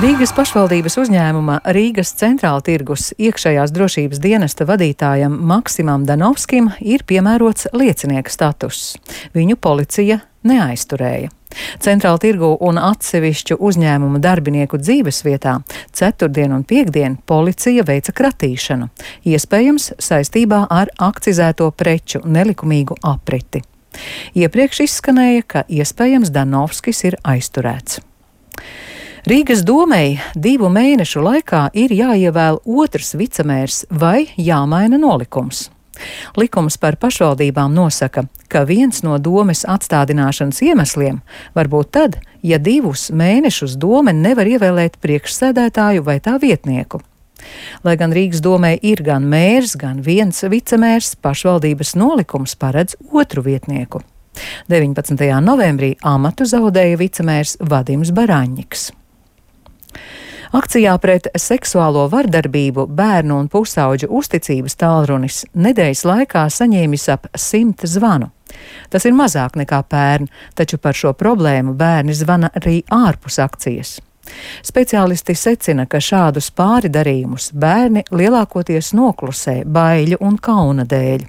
Rīgas pašvaldības uzņēmuma Rīgas centrāla tirgus iekšējās drošības dienesta vadītājam Maksimam Danovskim ir piemērots liecinieka status. Viņu policija neaizturēja. Centrāla tirgu un atsevišķu uzņēmumu darbinieku dzīvesvietā ceturtdien un piektdien policija veica kratīšanu, iespējams saistībā ar akcizēto preču nelikumīgu apriti. Iepriekš izskanēja, ka iespējams Danovskis ir aizturēts. Rīgas domei 2 mēnešu laikā ir jāievēl otrs vicemērs vai jāmaina nolikums. Likums par pašvaldībām nosaka, ka viens no domes atstādināšanas iemesliem var būt tad, ja 2 mēnešus dome nevar ievēlēt priekšsēdētāju vai tā vietnieku. Lai gan Rīgas domē ir gan mērs, gan viens vicemērs, pašvaldības nolikums paredz otru vietnieku. 19. novembrī amatu zaudēja vicemērs Vadims Baraņņiks. Akcijā pret seksuālo vardarbību bērnu un pusauģu uzticības tālrunis nedēļas laikā saņēmis ap 100 zvanu. Tas ir mazāk nekā pērn, taču par šo problēmu bērni zvana arī ārpus akcijas. Speciālisti secina, ka šādus pāridarījumus bērni lielākoties noklusē baiļu un kauna dēļ.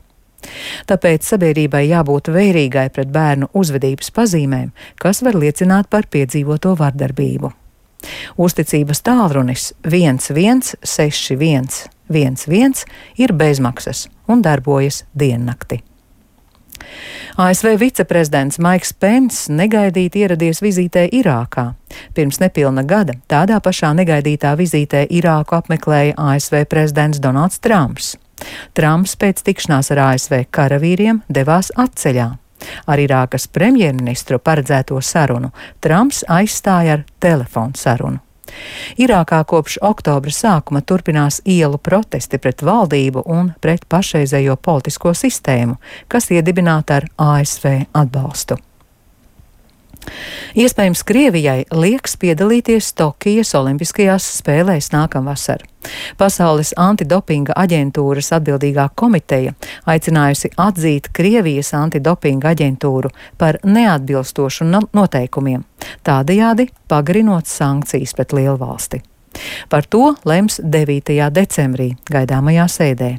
Tāpēc sabiedrībai jābūt vērīgai pret bērnu uzvedības pazīmēm, kas var liecināt par piedzīvoto vardarbību. Uzticības tālrunis 1161 11 ir bezmaksas un darbojas diennakti. ASV viceprezidents Maiks Pence negaidīti ieradies vizītē Irākā. Pirms nepilna gada tādā pašā negaidītā vizītē Irāku apmeklēja ASV prezidents Donalds Trumps. Trumps pēc tikšanās ar ASV karavīriem devās atceļā. Ar Irākas premjerministru paredzēto sarunu Trumps aizstāja ar telefonu sarunu. Irākā kopš oktobra sākuma turpinās ielu protesti pret valdību un pret pašreizējo politisko sistēmu, kas iedibināta ar ASV atbalstu. Iespējams, Krievijai liekas piedalīties Tokijas Olimpiskajās spēlēs nākamvasar. Pasaules antidopinga aģentūras atbildīgā komiteja aicinājusi atzīt Krievijas antidopinga aģentūru par neatbilstošu noteikumiem, tādējādi pagarinot sankcijas pret lielvalsti. Par to lems 9. decembrī gaidāmajā sēdē.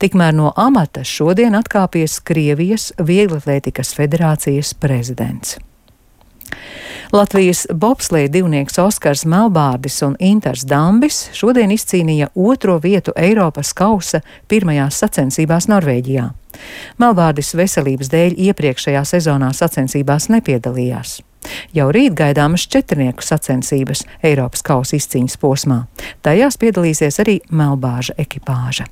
Tikmēr no amata šodien atkāpies Krievijas Vieglatlētikas federācijas prezidents. Latvijas bobsleja divnieks Oskars Melbārdis un Intars Dambis šodien izcīnīja 2. vietu Eiropas kausa pirmajās sacensībās Norvēģijā. Melbārdis veselības dēļ iepriekšējā sezonā sacensībās nepiedalījās. Jau rīt gaidāmas 4 sacensības Eiropas kausa izcīņas posmā. Tajās piedalīsies arī Melbāža ekipāža.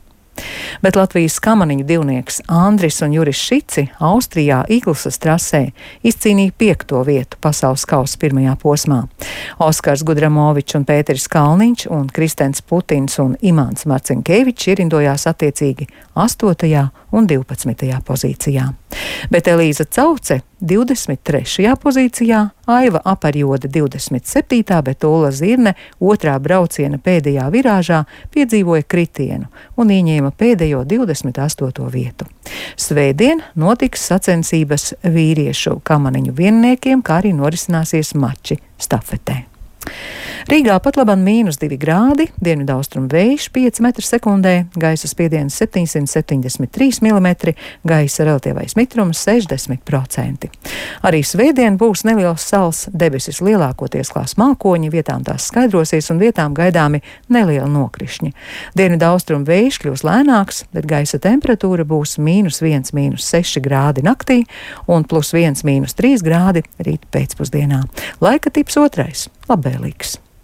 Bet Latvijas kamaniņu divnieks Andris un Juris Šici Austrijā Iglisas trasē izcīnīja 5. vietu pasaules kausa pirmajā posmā. Oskars Gudramovičs un Pēteris Kalniņš un Kristens Putins un Imants Marcinkevičs ierindojās attiecīgi 8. un 12. pozīcijā. Bet Elīza Cauce 23. pozīcijā, Aiva Aparjode 27., bet Ulla Zirne 2. brauciena pēdējā virāžā piedzīvoja kritienu un ieņēma pēdējo 28. vietu. Svētdien notiks sacensības vīriešu kamaniņu vienniekiem, kā arī norisināsies mači stafetē. Rīgā pat labam -2 grādi, dienvidaustrumu vējš 5 m/sekundē, gaisa spiediens 773 mm, gaisa relatīvais mitrums 60%. Arī svētdien būs neliels sals, debesis lielākoties klās mākoņi, vietām tās skaidrosies un vietām gaidāmi nelieli nokrišņi. Dienvidaustrumu vējš kļūs lēnāks, bet gaisa temperatūra būs -1, -6 grādi naktī un +1, -3 grādi rīt pēcpusdienā. Laika tips 2. labvēlīgs.